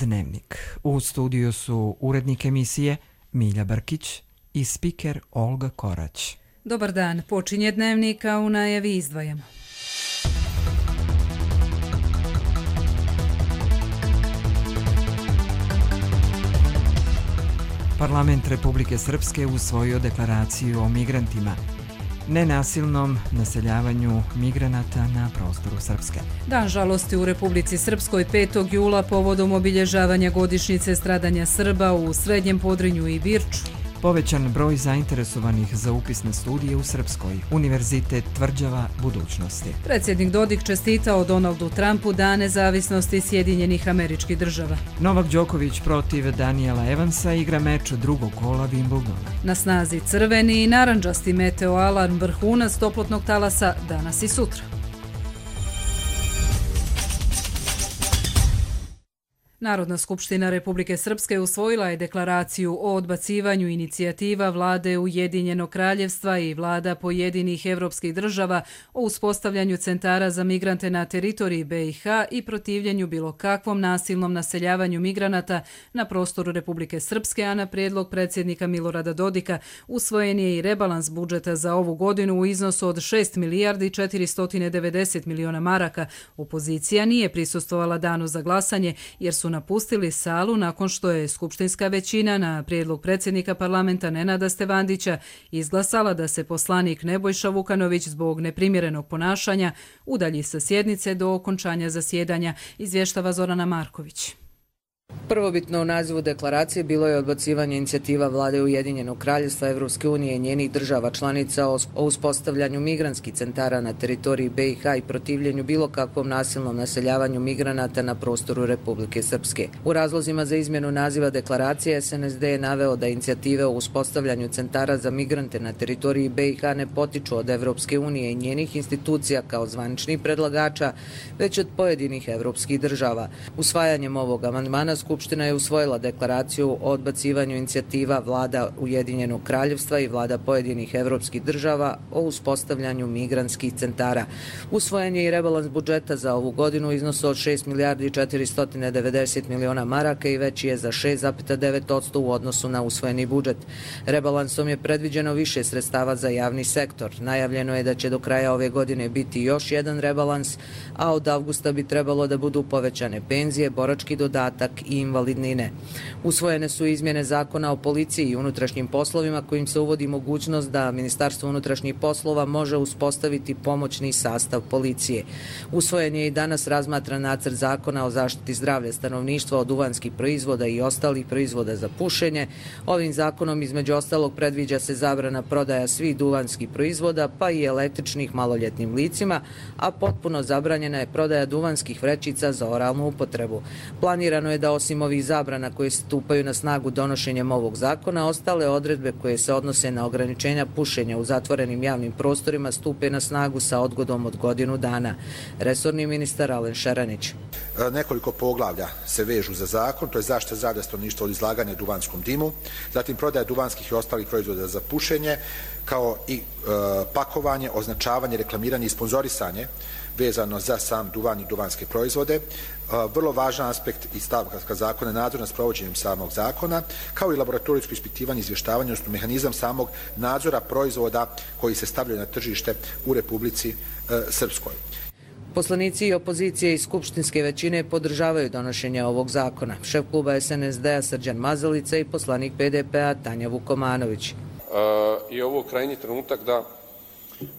Dnevnik. U studiju su urednik emisije Milja Brkić i spiker Olga Korać. Dobar dan, počinje Dnevnik, a u najavi izdvajamo. Parlament Republike Srpske usvojio deklaraciju o migrantima, nenasilnom naseljavanju migranata na prostoru Srpske. Dan žalosti u Republici Srpskoj 5. jula povodom obilježavanja godišnjice stradanja Srba u Srednjem Podrinju i Birču. Povećan broj zainteresovanih za upisne studije u Srpskoj. Univerzitet tvrđava budućnosti. Predsjednik Dodik čestitao Donaldu Trumpu Dan nezavisnosti Sjedinjenih Američkih Država. Novak Đoković protiv Daniela Evansa igra meč drugog kola Wimbledona. Na snazi crveni i narandžasti meteo alarm, vrhunac toplotnog talasa danas i sutra. Narodna skupština Republike Srpske usvojila je deklaraciju o odbacivanju inicijativa Vlade Ujedinjenog kraljevstva i vlada pojedinih evropskih država o uspostavljanju centara za migrante na teritoriji BiH i protivljenju bilo kakvom nasilnom naseljavanju migranata na prostoru Republike Srpske, a na prijedlog predsjednika Milorada Dodika usvojen je i rebalans budžeta za ovu godinu u iznosu od 6 milijardi 490 miliona maraka. Opozicija nije prisustvovala danu za glasanje jer su napustili salu nakon što je skupštinska većina na prijedlog predsjednika parlamenta Nenada Stevandića izglasala da se poslanik Nebojša Vukanović zbog neprimjerenog ponašanja udalji sa sjednice do okončanja zasjedanja, izvještava Zorana Marković. Prvobitno u nazivu deklaracije bilo je odbacivanje inicijativa Vlade Ujedinjenog kraljevstva Evropske unije i njenih država članica o uspostavljanju migrantskih centara na teritoriji BiH i protivljenju bilo kakvom nasilnom naseljavanju migranata na prostoru Republike Srpske. U razlozima za izmjenu naziva deklaracije SNSD je naveo da inicijative o uspostavljanju centara za migrante na teritoriji BiH ne potiču od Evropske unije i njenih institucija kao zvaničnih predlagača, već od pojedinih evropskih država. Usvajanjem ovog amandmana Skupština je usvojila deklaraciju o odbacivanju inicijativa Vlada Ujedinjenog kraljevstva i vlada pojedinih evropskih država o uspostavljanju migrantskih centara. Usvojen je i rebalans budžeta za ovu godinu u iznosu od 6 milijardi 490 miliona maraka i veći je za 6,9% u odnosu na usvojeni budžet. Rebalansom je predviđeno više sredstava za javni sektor. Najavljeno je da će do kraja ove godine biti još jedan rebalans, a od avgusta bi trebalo da budu povećane penzije, borački dodatak i invalidnine. Usvojene su izmjene zakona o policiji i unutrašnjim poslovima kojim se uvodi mogućnost da Ministarstvo unutrašnjih poslova može uspostaviti pomoćni sastav policije. Usvojen je i danas razmatran nacrt zakona o zaštiti zdravlja stanovništva od duvanskih proizvoda i ostalih proizvoda za pušenje. Ovim zakonom između ostalog predviđa se zabrana prodaja svih duvanskih proizvoda pa i električnih maloljetnim licima, a potpuno zabranjena je prodaja duvanskih vrećica za oralnu upotrebu. Planirano je da osim ovih zabrana koje stupaju na snagu donošenjem ovog zakona, ostale odredbe koje se odnose na ograničenja pušenja u zatvorenim javnim prostorima stupe na snagu sa odgodom od godinu dana. Resorni ministar Alen Šaranić. Nekoliko poglavlja se vežu za zakon, to je zaštita zdravlja stanovništva od izlaganja duvanskom dimu, zatim prodaja duvanskih i ostalih proizvoda za pušenje, kao i pakovanje, označavanje, reklamiranje i sponzorisanje vezano za sam duvan i duvanske proizvode. Vrlo važan aspekt i stavka zakona je nadzor nad sprovođenjem samog zakona, kao i laboratorijsko ispitivanje i izvještavanje, odnosno mehanizam samog nadzora proizvoda koji se stavljaju na tržište u Republici Srpskoj. Poslanici i opozicije iz skupštinske većine podržavaju donošenje ovog zakona. Šef kluba SNSD-a Srđan Mazalica i poslanik PDP-a Tanja Vukomanović. I ovo krajnji trenutak da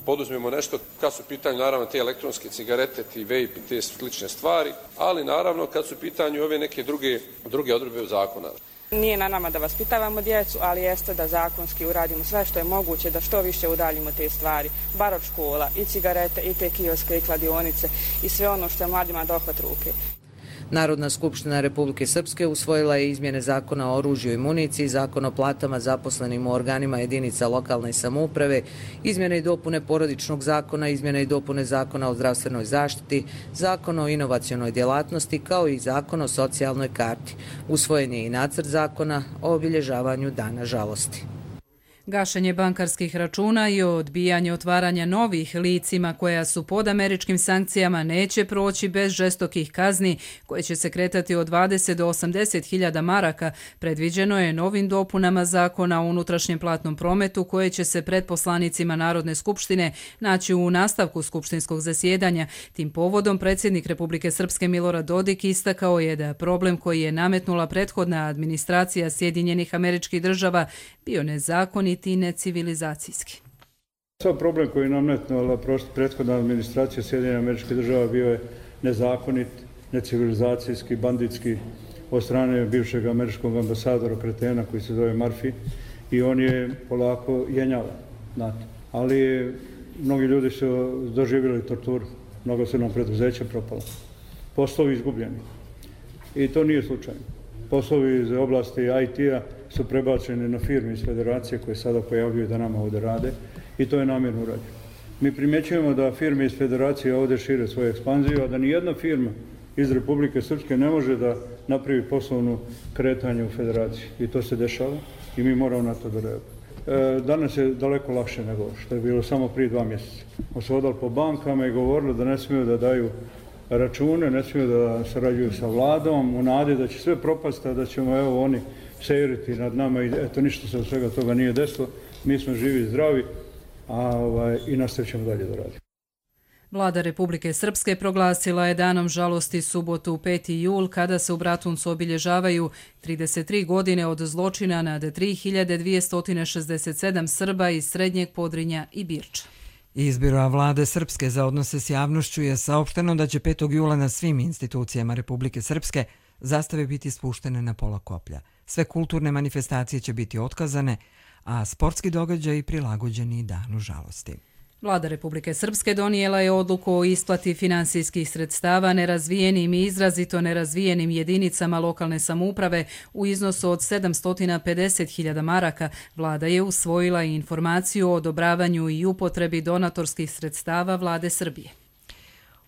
poduzmemo nešto kad su u pitanju naravno te elektronske cigarete, ti vape i te slične stvari, ali naravno kad su u pitanju ove neke druge odredbe zakona. Nije na nama da vaspitavamo djecu, ali jeste da zakonski uradimo sve što je moguće da što više udaljimo te stvari, bar od škola, i cigarete, i te kioske, i kladionice, i sve ono što je mladima dohvat ruke. Narodna skupština Republike Srpske usvojila je izmjene zakona o oružju i municiji, zakon o platama zaposlenim u organima jedinica lokalne samouprave, izmjene i dopune porodičnog zakona, izmjene i dopune zakona o zdravstvenoj zaštiti, zakon o inovacionoj djelatnosti, kao i zakon o socijalnoj karti. Usvojen je i nacrt zakona o obilježavanju Dana žalosti. Gašenje bankarskih računa i odbijanje otvaranja novih licima koja su pod američkim sankcijama neće proći bez žestokih kazni koje će se kretati od 20 do 80 hiljada maraka, predviđeno je novim dopunama zakona o unutrašnjem platnom prometu koje će se pred poslanicima Narodne skupštine naći u nastavku skupštinskog zasjedanja. Tim povodom predsjednik Republike Srpske Milorad Dodik istakao je da problem koji je nametnula prethodna administracija Sjedinjenih Američkih Država bio nezakonit i necivilizacijski. Sav problem koji je nametnula prethodna administracija Sjedinjenih Američkih Država bio je nezakonit, necivilizacijski, banditski od strane bivšeg američkog ambasadora kretena koji se zove Murphy i on je polako jenjava, znate. Ali mnogi ljudi su doživjeli torturu, mnogo su nam preduzeća propala, poslovi izgubljeni i to nije slučajno. Poslovi iz oblasti IT-a su prebačeni na firme iz federacije koje sada pojavljuju da nama ovdje rade i to je namjerno urađeno. Mi primjećujemo da firme iz federacije ovdje šire svoju ekspanziju, a da nijedna firma iz Republike Srpske ne može da napravi poslovno kretanje u federaciji. I to se dešava i mi moramo na to da reagujemo. Danas je daleko lakše nego što je bilo samo prije 2 mjeseca. Smo se hodali po bankama i govorili da ne smiju da daju račune, ne smiju da sarađuju sa vladom, u nadi da će sve propasti, da ćemo evo oni seiriti nad nama i eto ništa se od svega toga nije desilo. Mi smo živi i zdravi i nastavit ćemo dalje da radimo. Vlada Republike Srpske proglasila je danom žalosti subotu 5. jul kada se u Bratuncu obilježavaju 33 godine od zločina nad 3267 Srba iz Srednjeg Podrinja i Birča. Iz Biroa Vlade Srpske za odnose s javnošću je saopšteno da će 5. jula na svim institucijama Republike Srpske zastave biti spuštene na pola koplja. Sve kulturne manifestacije će biti otkazane, a sportski događaji prilagođeni danu žalosti. Vlada Republike Srpske donijela je odluku o isplati finansijskih sredstava nerazvijenim i izrazito nerazvijenim jedinicama lokalne samouprave u iznosu od 750.000 maraka. Vlada je usvojila i informaciju o odobravanju i upotrebi donatorskih sredstava Vlade Srbije.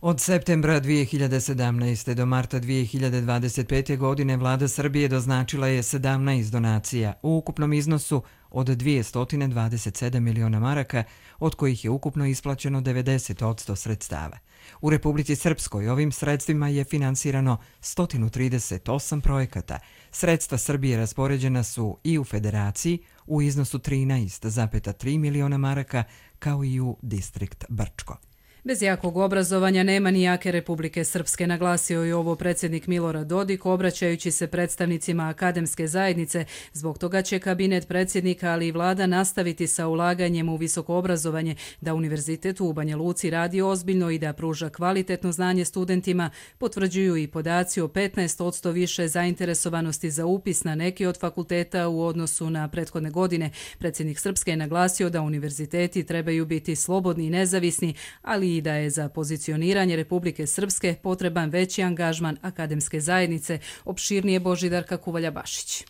Od septembra 2017. do marta 2025. godine Vlada Srbije doznačila je 17 donacija u ukupnom iznosu od 227 miliona maraka, od kojih je ukupno isplaćeno 90% sredstava. U Republici Srpskoj ovim sredstvima je finansirano 138 projekata. Sredstva Srbije raspoređena su i u Federaciji u iznosu 13,3 miliona maraka, kao i u distrikt Brčko. Bez jakog obrazovanja nema ni jake Republike Srpske, naglasio je ovo predsjednik Milorad Dodik obraćajući se predstavnicima akademske zajednice. Zbog toga će kabinet predsjednika, ali i vlada nastaviti sa ulaganjem u visoko obrazovanje, da Univerzitet u Banja Luci radi ozbiljno i da pruža kvalitetno znanje studentima, potvrđuju i podaci o 15% više zainteresovanosti za upis na neki od fakulteta u odnosu na prethodne godine. Predsjednik Srpske je naglasio da univerziteti trebaju biti slobodni i nezavisni, ali i da je za pozicioniranje Republike Srpske potreban veći angažman akademske zajednice, opširnije Božidarka Kuvalja-Bašić.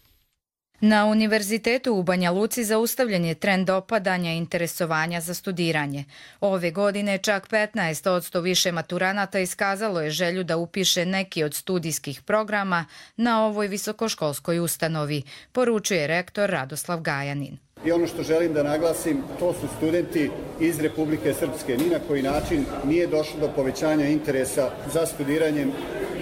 Na Univerzitetu u Banja Luci zaustavljen je trend opadanja interesovanja za studiranje. Ove godine čak 15% više maturanata iskazalo je želju da upiše neki od studijskih programa na ovoj visokoškolskoj ustanovi, poručuje rektor Radoslav Gajanin. I ono što želim da naglasim, to su studenti iz Republike Srpske. Ni na koji način nije došlo do povećanja interesa za studiranjem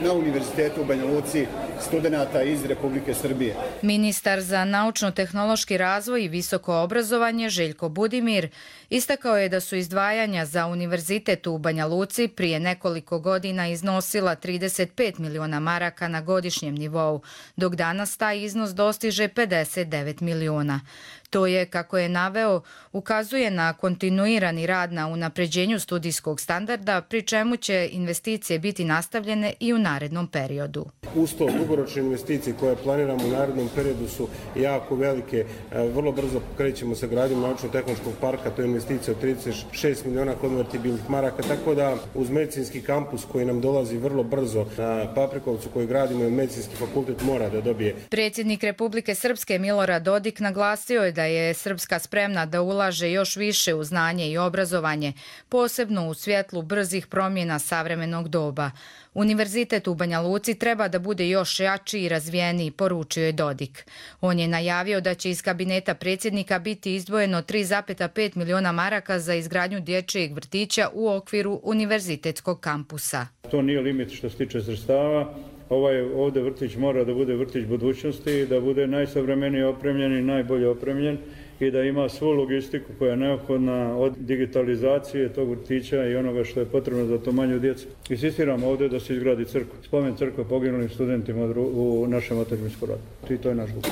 na Univerzitetu u Banja Luci studenata iz Republike Srbije. Ministar za naučno-tehnološki razvoj i visoko obrazovanje Željko Budimir istakao je da su izdvajanja za Univerzitet u Banja Luci prije nekoliko godina iznosila 35 miliona maraka na godišnjem nivou, dok danas taj iznos dostiže 59 miliona. To je, kako je naveo, ukazuje na kontinuirani rad na unapređenju studijskog standarda, pri čemu će investicije biti nastavljene i u narednom periodu. Uz to, dugoročne investicije koje planiramo u narednom periodu su jako velike. Vrlo brzo krećemo sa gradnjom naučno-tehnološkog parka, to je investicija od 36 miliona konvertibilnih maraka, tako da uz medicinski kampus koji nam dolazi vrlo brzo na Paprikovcu koji gradimo, medicinski fakultet mora da dobije. Predsjednik Republike Srpske Milorad Dodik naglasio je da je Srpska spremna da ulaže još više u znanje i obrazovanje, posebno u svjetlu brzih promjena savremenog doba. Univerzitet u Banja Luci treba da bude još jači i razvijeniji, poručio je Dodik. On je najavio da će iz kabineta predsjednika biti izdvojeno 3,5 miliona maraka za izgradnju dječjeg vrtića u okviru univerzitetskog kampusa. To nije limit što se tiče sredstava. Ovdje vrtić mora da bude vrtić budućnosti, da bude najsavremenije opremljen i najbolje opremljen i da ima svu logistiku koja je neophodna od digitalizacije tog vrtića i onoga što je potrebno za to manju djecu. Insistiramo ovdje da se izgradi crkva, spomen crkva poginulim studentima u našem otadžbinskom ratu. I to je naš dug.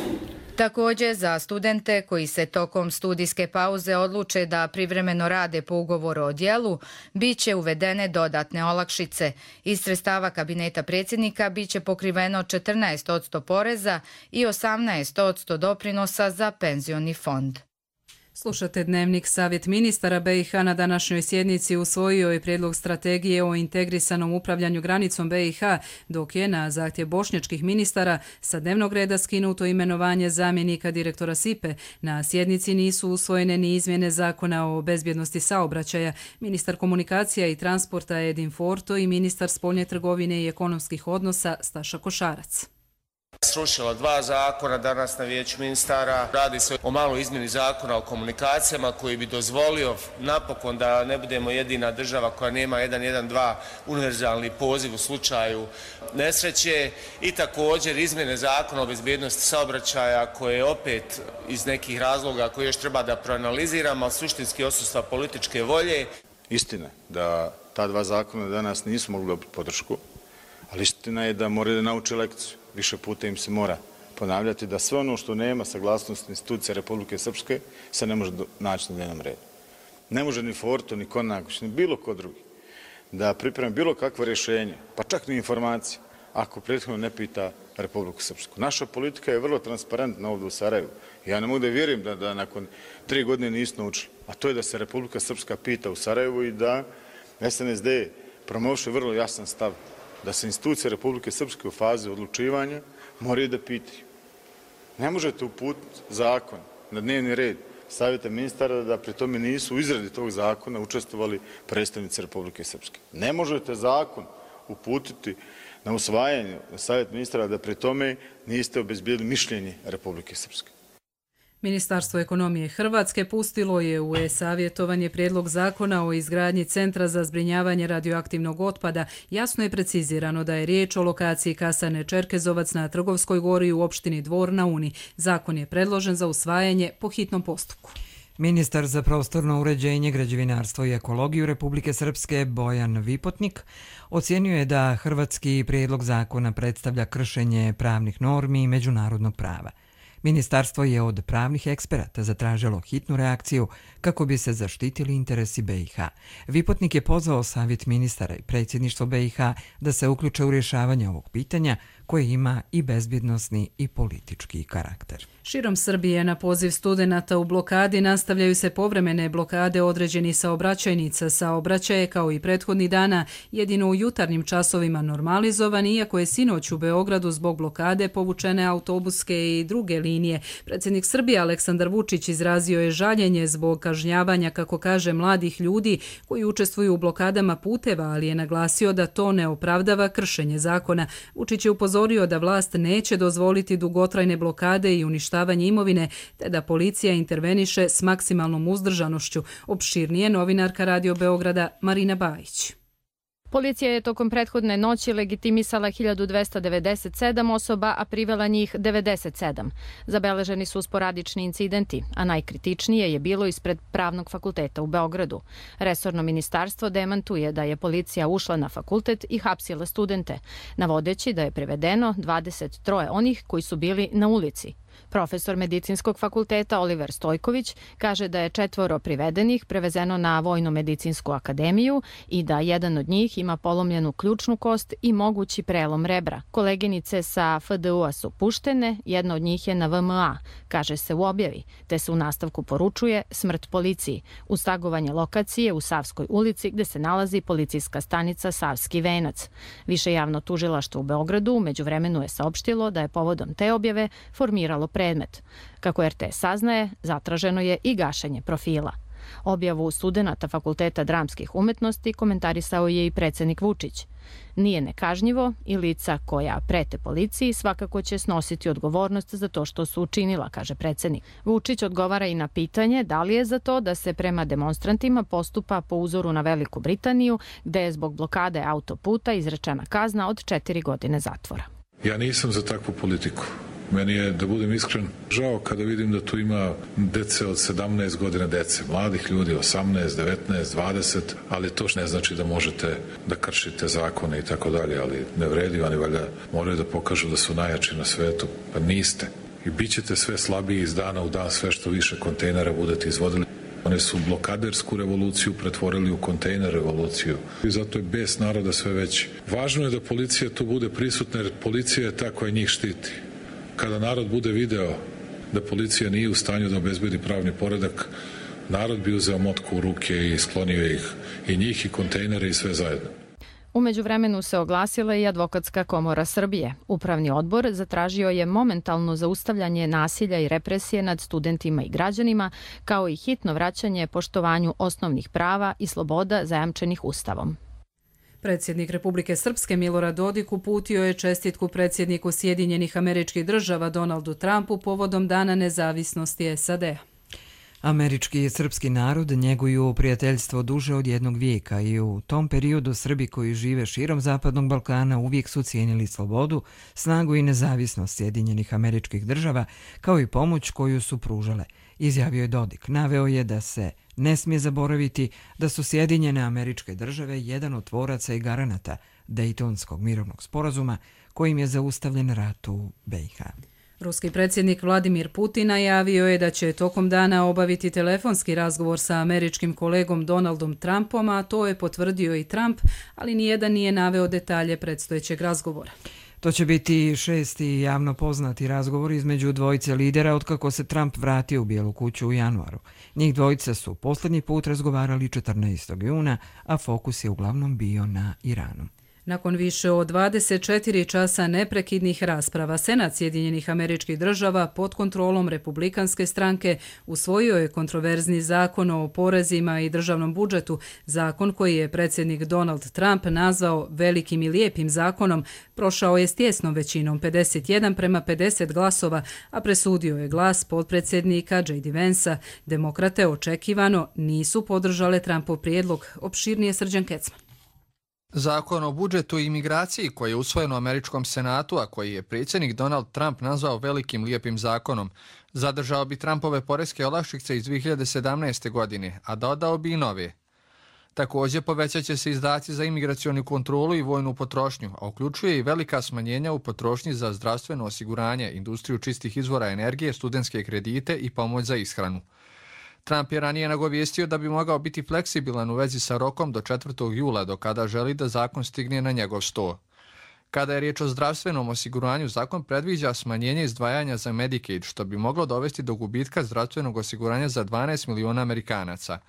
Također za studente koji se tokom studijske pauze odluče da privremeno rade po ugovoru o djelu, bit će uvedene dodatne olakšice. Iz sredstava kabineta predsjednika bit će pokriveno 14% poreza i 18% doprinosa za penzioni fond. Slušate Dnevnik. Savjet ministara BiH na današnjoj sjednici usvojio je prijedlog strategije o integrisanom upravljanju granicom BiH, dok je na zahtjev bošnjačkih ministara sa dnevnog reda skinuto imenovanje zamjenika direktora SIPE. Na sjednici nisu usvojene ni izmjene zakona o bezbjednosti saobraćaja. Ministar komunikacija i transporta Edin Forto i ministar spoljne trgovine i ekonomskih odnosa Staša Košarac. Srušila 2 zakona danas na vijeću ministara. Radi se o maloj izmjeni zakona o komunikacijama koji bi dozvolio napokon da ne budemo jedina država koja nema 112 univerzalni poziv u slučaju nesreće i također izmjene zakona o bezbjednosti saobraćaja koje opet iz nekih razloga koje još treba da proanaliziramo, suštinski odsustva političke volje. Istina da ta 2 zakona danas nisu mogli dobiti podršku, ali istina je da moraju da nauče lekciju. Više puta im se mora ponavljati da sve ono što nema saglasnost institucija Republike Srpske se ne može naći na dnevnom redu. Ne može ni Forto, ni Konaković, ni bilo ko drugi da pripremi bilo kakvo rješenje, pa čak ni informacije, ako prethodno ne pita Republiku Srpsku. Naša politika je vrlo transparentna ovdje u Sarajevu. Ja ne mogu da vjerujem da nakon 3 godine nisu naučili, a to je da se Republika Srpska pita u Sarajevu i da SNSD promoviše vrlo jasan stav da se institucije Republike Srpske u fazi odlučivanja moraju da pitaju. Ne možete uputiti zakon na dnevni red Savjeta ministara da pri tome nisu u izradi tog zakona učestvovali predstavnici Republike Srpske. Ne možete zakon uputiti na usvajanje Savjeta ministara da pri tome niste obezbijedili mišljenje Republike Srpske. Ministarstvo ekonomije Hrvatske pustilo je u e-savjetovanje prijedlog zakona o izgradnji centra za zbrinjavanje radioaktivnog otpada. Jasno je precizirano da je riječ o lokaciji kasarne Čerkezovac na Trgovskoj gori u opštini Dvor na Uni. Zakon je predložen za usvajanje po hitnom postupku. Ministar za prostorno uređenje, građevinarstvo i ekologiju Republike Srpske Bojan Vipotnik ocijenio je da hrvatski prijedlog zakona predstavlja kršenje pravnih normi i međunarodnog prava. Ministarstvo je od pravnih eksperata zatražilo hitnu reakciju kako bi se zaštitili interesi BiH. Vipotnik je pozvao Savjet ministara i predsjedništvo BiH da se uključe u rješavanje ovog pitanja koje ima i bezbjednosni i politički karakter. Širom Srbije na poziv studenata u blokadi nastavljaju se povremene blokade određenih saobraćajnica. Saobraćaj je kao i prethodnih dana jedino u jutarnjim časovima normalizovan, iako je sinoć u Beogradu zbog blokade povučene autobuske i druge linije. Predsjednik Srbije Aleksandar Vučić izrazio je žaljenje zbog kažnjavanja, kako kaže, mladih ljudi koji učestvuju u blokadama puteva, ali je naglasio da to ne opravdava kršenje zakona. Vučić je upozorio da vlast neće dozvoliti dugotrajne blokade i uništavanje imovine, te da policija interveniše s maksimalnom uzdržanošću. Opširnije novinarka Radio Beograda Marina Bajić. Policija je tokom prethodne noći legitimisala 1297 osoba, a privela njih 97. Zabeleženi su sporadični incidenti, a najkritičnije je bilo ispred Pravnog fakulteta u Beogradu. Resorno ministarstvo demantuje da je policija ušla na fakultet i hapsila studente, navodeći da je privedeno 23 onih koji su bili na ulici. Profesor medicinskog fakulteta Oliver Stojković kaže da je 4 privedenih prevezeno na Vojno-medicinsku akademiju i da jedan od njih ima polomljenu ključnu kost i mogući prelom rebra. Koleginice sa FDU-a su puštene, jedna od njih je na VMA, kaže se u objavi, te se u nastavku poručuje smrt policiji, uz tagovanje lokacije u Savskoj ulici gde se nalazi policijska stanica Savski venac. Više javno tužilaštvo u Beogradu u međuvremenu je saopštilo da je povodom te objave formiralo rešavalo predmet. Kako RTS saznaje, zatraženo je i gašenje profila. Objavu studenata Fakulteta dramskih umetnosti komentarisao je i predsjednik Vučić. Nije nekažnjivo i lica koja prete policiji svakako će snositi odgovornost za to što su učinila, kaže predsjednik. Vučić odgovara i na pitanje da li je za to da se prema demonstrantima postupa po uzoru na Veliku Britaniju, gde je zbog blokade autoputa izrečena kazna od 4 godine zatvora. Ja nisam za takvu politiku. Meni je, da budem iskren, žao kada vidim da tu ima dece od 17 godina dece, mladih ljudi, 18, 19, 20, ali to ne znači da možete da kršite zakone i tako dalje, ali ne vredi, oni valjda moraju da pokažu da su najjači na svetu, pa niste. I bit ćete sve slabiji iz dana u dan, sve što više kontejnera budete izvodili. Oni su blokadersku revoluciju pretvorili u kontejner revoluciju i zato je bes naroda sve veći. Važno je da policija tu bude prisutna jer policija je ta koja njih štiti. Kada narod bude video da policija nije u stanju da obezbedi pravni poredak, narod bi uzeo motku u ruke i sklonio ih, i njih i kontejnere i sve zajedno. U međuvremenu se oglasila i Advokatska komora Srbije. Upravni odbor zatražio je momentalno zaustavljanje nasilja i represije nad studentima i građanima, kao i hitno vraćanje poštovanju osnovnih prava i sloboda zajamčenih Ustavom. Predsjednik Republike Srpske Milorad Dodik uputio je čestitku predsjedniku Sjedinjenih Američkih Država Donaldu Trumpu povodom Dana nezavisnosti SAD-a. Američki i srpski narod njeguju prijateljstvo duže od jednog vijeka i u tom periodu Srbi koji žive širom Zapadnog Balkana uvijek su cijenili slobodu, snagu i nezavisnost Sjedinjenih Američkih Država, kao i pomoć koju su pružale, izjavio je Dodik. Naveo je da se ne smije zaboraviti da su Sjedinjene Američke Države jedan od tvoraca i garanata Dejtonskog mirovnog sporazuma kojim je zaustavljen rat u BiH. Ruski predsjednik Vladimir Putin najavio je da će tokom dana obaviti telefonski razgovor sa američkim kolegom Donaldom Trumpom, a to je potvrdio i Trump, ali nijedan nije naveo detalje predstojećeg razgovora. To će biti šesti javno poznati razgovor između dvojice lidera otkako se Trump vratio u Bijelu kuću u januaru. Njih dvojica su posljednji put razgovarali 14. juna, a fokus je uglavnom bio na Iranu. Nakon više od 24 časa neprekidnih rasprava, Senat Sjedinjenih Američkih Država pod kontrolom Republikanske stranke usvojio je kontroverzni zakon o porezima i državnom budžetu, zakon koji je predsjednik Donald Trump nazvao velikim i lijepim zakonom, prošao je s tjesnom većinom 51:50 glasova, a presudio je glas potpredsjednika J.D. Vansa. Demokrate očekivano nisu podržale Trumpov prijedlog. Opširnije Srđan Kecman. Zakon o budžetu i imigraciji koji je usvojen u Američkom senatu, a koji je predsjednik Donald Trump nazvao velikim lijepim zakonom, zadržao bi Trumpove poreske olakšice iz 2017. godine, a dodao bi i nove. Također povećat će se izdaci za imigracionu kontrolu i vojnu potrošnju, a uključuje i velika smanjenja u potrošnji za zdravstveno osiguranje, industriju čistih izvora energije, studentske kredite i pomoć za ishranu. Trump je ranije nagovijestio da bi mogao biti fleksibilan u vezi sa rokom do 4. jula, do kada želi da zakon stigne na njegov sto. Kada je riječ o zdravstvenom osiguranju, zakon predviđa smanjenje izdvajanja za Medicaid, što bi moglo dovesti do gubitka zdravstvenog osiguranja za 12 miliona Amerikanaca.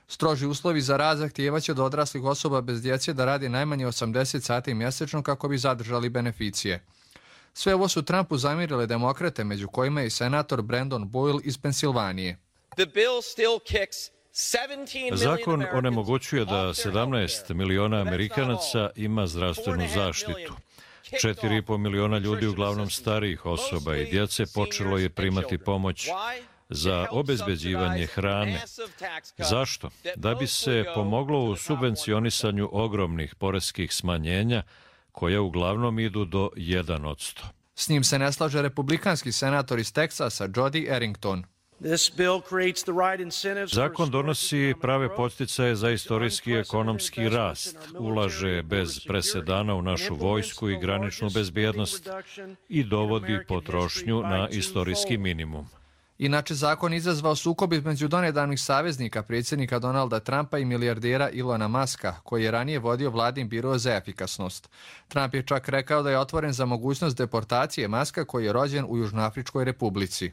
Stroži uslovi za rad zahtijevaće od odraslih osoba bez djece da radi najmanje 80 sati mjesečno kako bi zadržali beneficije. Sve ovo su Trumpu zamjerile demokrate, među kojima je i senator Brandon Boyle iz Pensilvanije. Zakon onemogućuje da 17 miliona Amerikanaca ima zdravstvenu zaštitu. 4,5 miliona ljudi, uglavnom starijih osoba i djece, počelo je primati pomoć za obezbeđivanje hrane. Zašto? Da bi se pomoglo u subvencionisanju ogromnih poreskih smanjenja, koje uglavnom idu do 1%. S njim se ne slaže republikanski senator iz Teksasa, Jody Arrington. Zakon donosi prave podsticaje za istorijski ekonomski rast, ulaže bez presedana u našu vojsku i graničnu bezbjednost i dovodi potrošnju na istorijski minimum. Inače, zakon izazvao sukob između donedavnih saveznika predsjednika Donalda Trumpa i milijardera Ilona Muska, koji je ranije vodio vladin biro za efikasnost. Trump je čak rekao da je otvoren za mogućnost deportacije Muska, koji je rođen u Južnoafričkoj republici.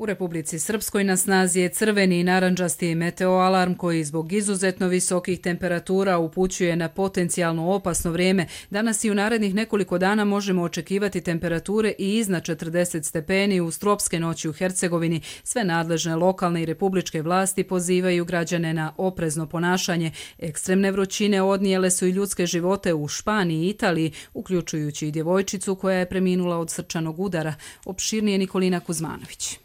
U Republici Srpskoj na snazi je crveni i narandžasti meteoalarm koji zbog izuzetno visokih temperatura upućuje na potencijalno opasno vrijeme. Danas i u narednih nekoliko dana možemo očekivati temperature i iznad 40 stepeni uz tropske noći u Hercegovini. Sve nadležne lokalne i republičke vlasti pozivaju građane na oprezno ponašanje. Ekstremne vrućine odnijele su i ljudske živote u Španiji i Italiji, uključujući i djevojčicu koja je preminula od srčanog udara. Opširnije Nikolina Kuzmanović.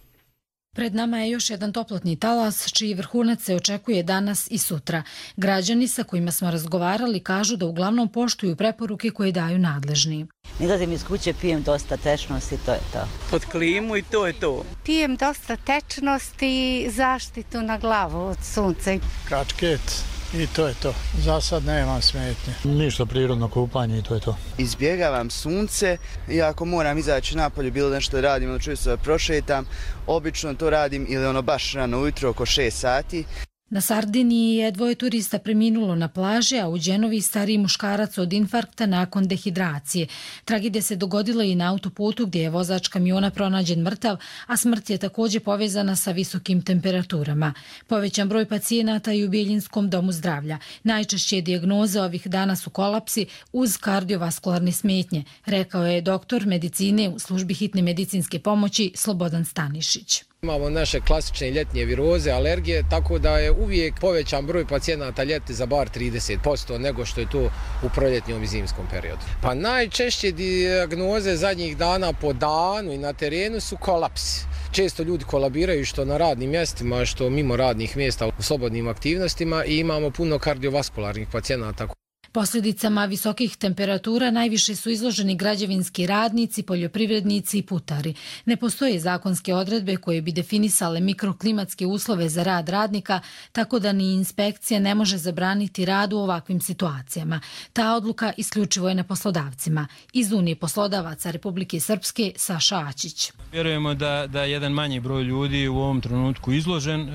Pred nama je još jedan toplotni talas, čiji vrhunac se očekuje danas i sutra. Građani sa kojima smo razgovarali kažu da uglavnom poštuju preporuke koje daju nadležni. Izlazim iz kuće, pijem dosta tečnosti i to je to. Pod klimu i to je to. Pijem dosta tečnosti i zaštitu na glavu od sunca. Kačket. I to je to. Za sad nemam smetnje. Ništa, prirodno kupanje i to je to. Izbjegavam sunce i ako moram izaći napolje, bilo nešto radim, ili čujem se da prošetam, obično to radim ili baš rano ujutro oko 6 sati. Na Sardiniji je 2 turista preminulo na plaži, a u Đenovi stariji muškarac od infarkta nakon dehidracije. Tragedija se dogodila i na autoputu gdje je vozač kamiona pronađen mrtav, a smrt je također povezana sa visokim temperaturama. Povećan broj pacijenata i u Biljinskom domu zdravlja. Najčešće dijagnoze ovih dana su kolapsi uz kardiovaskularne smetnje, rekao je doktor medicine u službi hitne medicinske pomoći Slobodan Stanišić. Imamo naše klasične ljetnje viroze, alergije, tako da je uvijek povećan broj pacijenata ljeti za bar 30% nego što je to u proljetnjom i zimskom periodu. Pa najčešće dijagnoze zadnjih dana po danu i na terenu su kolapsi. Često ljudi kolabiraju što na radnim mjestima, što mimo radnih mjesta u slobodnim aktivnostima i imamo puno kardiovaskularnih pacijenata. Posljedicama visokih temperatura najviše su izloženi građevinski radnici, poljoprivrednici i putari. Ne postoje zakonske odredbe koje bi definisale mikroklimatske uslove za rad radnika, tako da ni inspekcija ne može zabraniti rad u ovakvim situacijama. Ta odluka isključivo je na poslodavcima. Iz Unije poslodavaca Republike Srpske Saša Ačić. Vjerujemo da jedan manji broj ljudi u ovom trenutku izložen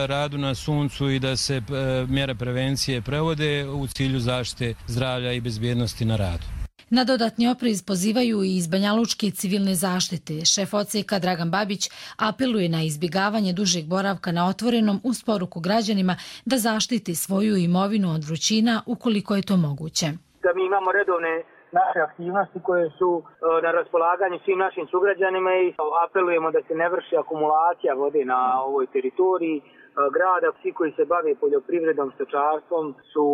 radu na suncu i da se mjere prevencije prevode u cilju zaštite zdravlja i bezbjednosti na radu. Na dodatni oprez pozivaju i iz Banjalučke civilne zaštite. Šef odseka Dragan Babić apeluje na izbjegavanje dužeg boravka na otvorenom uz poruku građanima da zaštiti svoju imovinu od vrućina ukoliko je to moguće. Da mi imamo redovne naše aktivnosti koje su na raspolaganju svim našim sugrađanima i apelujemo da se ne vrši akumulacija vode na ovoj teritoriji grada. Svi koji se bave poljoprivredom, stočarstvom su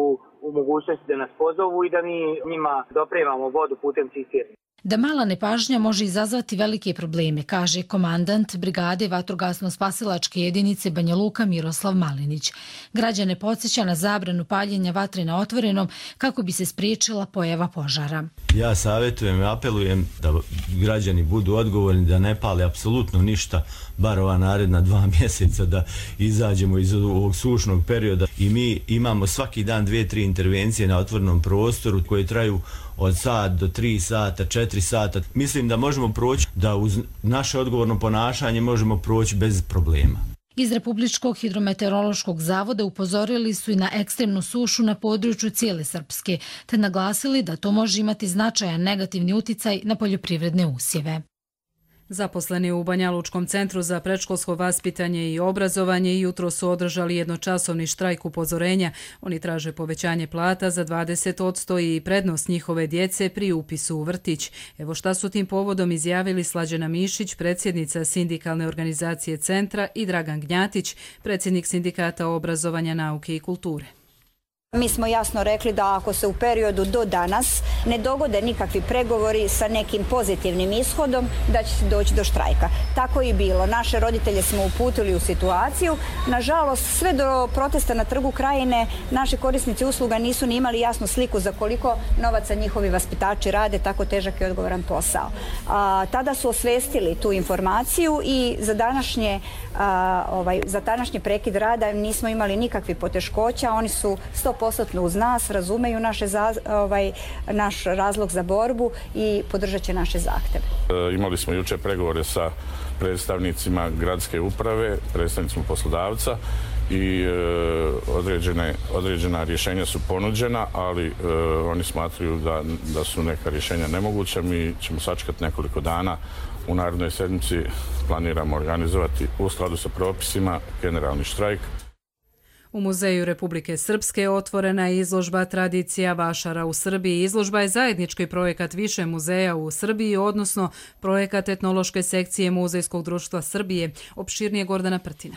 u mogućnosti da nas pozovu i da mi njima dopremamo vodu putem cisterni. Da mala nepažnja može izazvati velike probleme, kaže komandant brigade vatrogasno-spasilačke jedinice Banja Luka Miroslav Malinić. Građane podsjeća na zabranu paljenja vatre na otvorenom kako bi se spriječila pojava požara. Ja savjetujem i apelujem da građani budu odgovorni, da ne pale apsolutno ništa, bar ova naredna 2 mjeseca da izađemo iz ovog sušnog perioda. I mi imamo svaki dan 2-3 intervencije na otvorenom prostoru koje traju od sat do 3 sata, 4 sata. Mislim da možemo proći, da uz naše odgovorno ponašanje možemo proći bez problema. Iz Republičkog hidrometeorološkog zavoda upozorili su i na ekstremnu sušu na području cijele Srpske, te naglasili da to može imati značajan negativni uticaj na poljoprivredne usjeve. Zaposleni u Banjalučkom centru za predškolsko vaspitanje i obrazovanje jutro su održali jednočasovni štrajk upozorenja. Oni traže povećanje plata za 20% i prednost njihove djece pri upisu u vrtić. Evo šta su tim povodom izjavili Slađana Mišić, predsjednica sindikalne organizacije centra, i Dragan Gnjatić, predsjednik sindikata obrazovanja, nauke i kulture. Mi smo jasno rekli da ako se u periodu do danas ne dogode nikakvi pregovori sa nekim pozitivnim ishodom, da će se doći do štrajka. Tako i bilo. Naše roditelje smo uputili u situaciju. Nažalost, sve do protesta na Trgu Krajine naši korisnici usluga nisu ni imali jasnu sliku za koliko novaca njihovi vaspitači rade tako težak i odgovoran posao. Tada su osvestili tu informaciju i za današnji prekid rada nismo imali nikakvih poteškoća. Oni su 100% uz nas, razumeju naš razlog za borbu i podržat će naše zahtjeve. Imali smo jučer pregovore sa predstavnicima gradske uprave, predstavnicima poslodavca i određena rješenja su ponuđena, ali oni smatruju da su neka rješenja nemoguća. Mi ćemo sačekati nekoliko dana. U narednoj sedmici planiramo organizovati u skladu sa propisima generalni štrajk. U Muzeju Republike Srpske otvorena je izložba Tradicija vašara u Srbiji. Izložba je zajednički projekat više muzeja u Srbiji, odnosno projekat etnološke sekcije Muzejskog društva Srbije. Opširnije Gordana Prtina.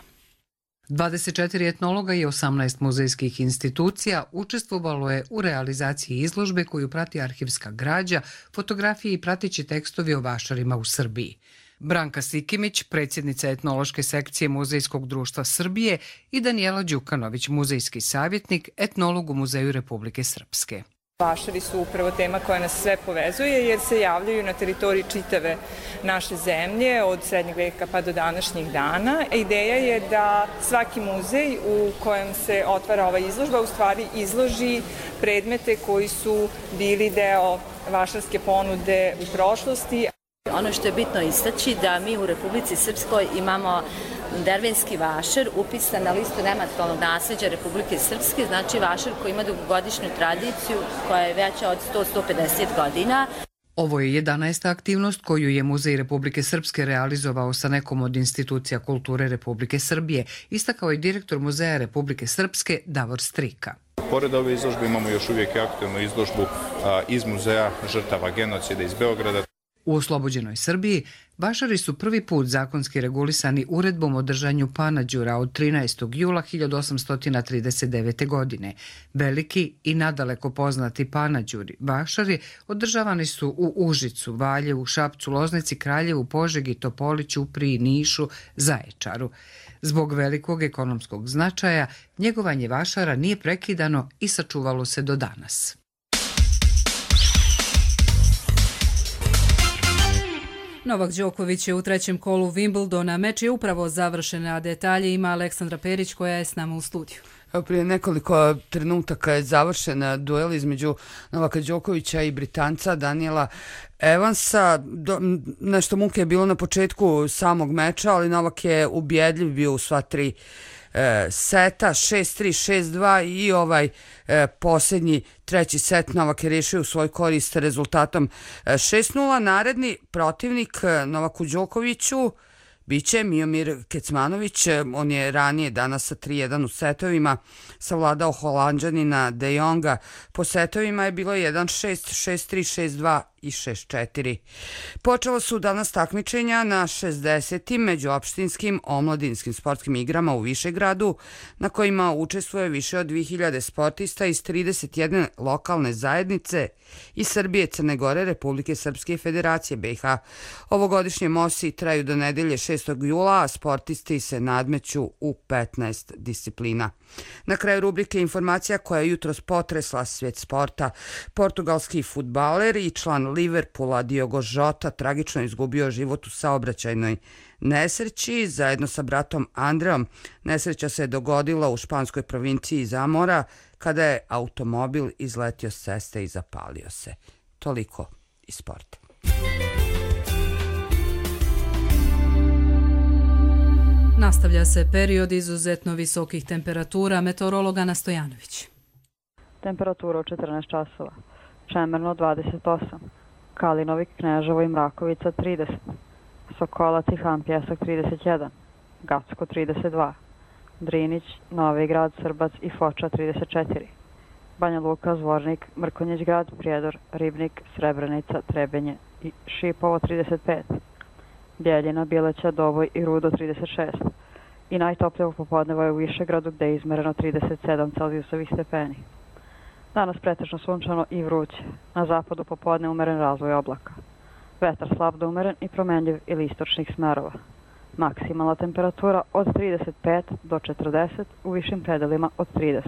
24 etnologa i 18 muzejskih institucija učestvovalo je u realizaciji izložbe koju prati arhivska građa, fotografije i prateći tekstovi o vašarima u Srbiji. Branka Sikimić, predsjednica etnološke sekcije Muzejskog društva Srbije, i Danijela Đukanović, muzejski savjetnik, etnolog u Muzeju Republike Srpske. Vašari su upravo tema koja nas sve povezuje jer se javljaju na teritoriji čitave naše zemlje od srednjeg veka pa do današnjih dana. Ideja je da svaki muzej u kojem se otvara ova izložba u stvari izloži predmete koji su bili deo vašarske ponude u prošlosti. Ono što je bitno istaći da mi u Republici Srpskoj imamo dervenski vašar upisan na listu nematerijalnog nasleđa Republike Srpske, znači vašar koji ima dugogodišnju tradiciju koja je veća od 100-150 godina. Ovo je 11. aktivnost koju je Muzej Republike Srpske realizovao sa nekom od institucija kulture Republike Srbije, istakao je direktor Muzeja Republike Srpske Davor Strika. Pored ove izložbe imamo još uvijek aktivnu izložbu iz Muzeja žrtava genocida iz Beograda. U oslobođenoj Srbiji vašari su prvi put zakonski regulisani uredbom o držanju panađura od 13. jula 1839. godine. Veliki i nadaleko poznati panađuri vašari održavani su u Užicu, Valjevu, Šapcu, Loznici, Kraljevu, Požegi, Topoliću, Upriji, Nišu, Zaječaru. Zbog velikog ekonomskog značaja njegovanje vašara nije prekidano i sačuvalo se do danas. Novak Đoković je u trećem kolu Wimbledona. Meč je upravo završen, a detalje ima Aleksandra Perić koja je s nama u studiju. Prije nekoliko trenutaka je završen duel između Novaka Đokovića i Britanca Daniela Evansa. Nešto muke je bilo na početku samog meča, ali Novak je ubjedljiv bio u sva tri seta, 6-3, 6-2 i ovaj posljednji treći set Novak je rešio u svoj korist rezultatom 6-0. Naredni protivnik Novaku Đokoviću biće Miomir Kecmanović. On je ranije danas sa 3-1 u setovima savladao Holanđanina De Jonga. Po setovima je bilo 1-6, 6-3, 6-2 i 6-4. Počela su danas takmičenja na 60. međuopštinskim omladinskim sportskim igrama u Višegradu, na kojima učestvuje više od 2000 sportista iz 31 lokalne zajednice iz Srbije, Crne Gore, Republike Srpske i Federacije BiH. Ovogodišnje MOSI traju do nedelje 6. jula, a sportisti se nadmeću u 15 disciplina. Na kraju rubrike informacija koja je jutros potresla svijet sporta. Portugalski fudbaler i član Liverpoola Diogo Jota tragično izgubio život u saobraćajnoj nesreći zajedno sa bratom Andreom. Nesreća se dogodila u španskoj provinciji Zamora kada je automobil izletio s ceste i zapalio se. Toliko iz sporta. Nastavlja se period izuzetno visokih temperatura. Meteorolog Ana Stojanović. Temperatura u 14 časova. Čemerno 28. Kalinovik, Kneževo i Mrakovica 30. Sokolac i Han Pjesak 31. Gacko 32. Drinić, Novi Grad, Srbac i Foča 34. Banja Luka, Zvornik, Mrkonjić Grad, Prijedor, Ribnik, Srebrenica, Trebenje i Šipovo 35. Bjeljina, Bileća, Doboj i Rudo 36. I najtoplije popodneva je u Višegradu gde je izmereno 37 Celzijusovih stepeni. Danas pretežno sunčano i vruće. Na zapadu popodne umeren razvoj oblaka. Vetar slab do umeren i promenljiv ili istočnih smerova. Maksimalna temperatura od 35 do 40, u višim predelima od 30.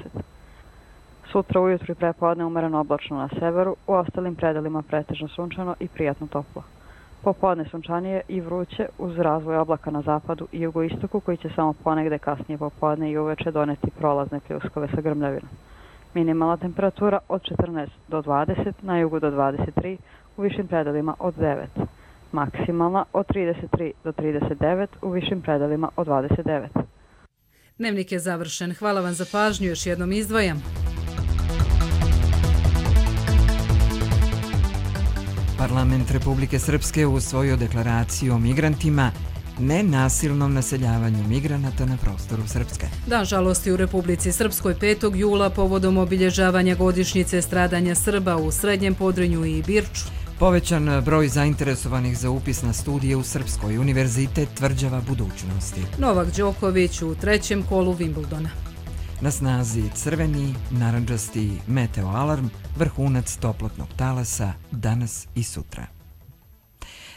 Sutra ujutru i prepodne umeren oblačno na severu, u ostalim predelima pretežno sunčano i prijatno toplo. Popodne sunčanije i vruće uz razvoj oblaka na zapadu i jugoistoku koji će samo ponegde kasnije popodne i uveče doneti prolazne pljuskove sa grmljavinom. Minimalna temperatura od 14 do 20, na jugu do 23, u višim predelima od 9. Maksimalna od 33 do 39, u višim predelima od 29. Dnevnik je završen. Hvala vam za pažnju, još jednom izdvajam. Parlament Republike Srpske usvojio deklaraciju o migrantima, nenasilnom naseljavanju migranata na prostoru Srpske. Dan žalosti u Republici Srpskoj 5. jula povodom obilježavanja godišnjice stradanja Srba u Srednjem Podrinju i Birču. Povećan broj zainteresovanih za upis na studije u Srpskoj, Univerzitet tvrđava budućnosti. Novak Đoković u 3. kolu Wimbledona. Na snazi crveni, narandžasti meteoalarm, vrhunac toplotnog talasa danas i sutra.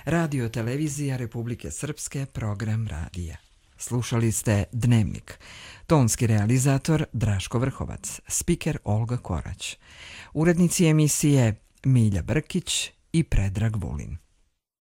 Radio televizija Republike Srpske, program radija. Slušali ste Dnevnik. Tonski realizator Draško Vrhovac, spiker Olga Korać. Urednici emisije Milja Brkić i Predrag Vulin.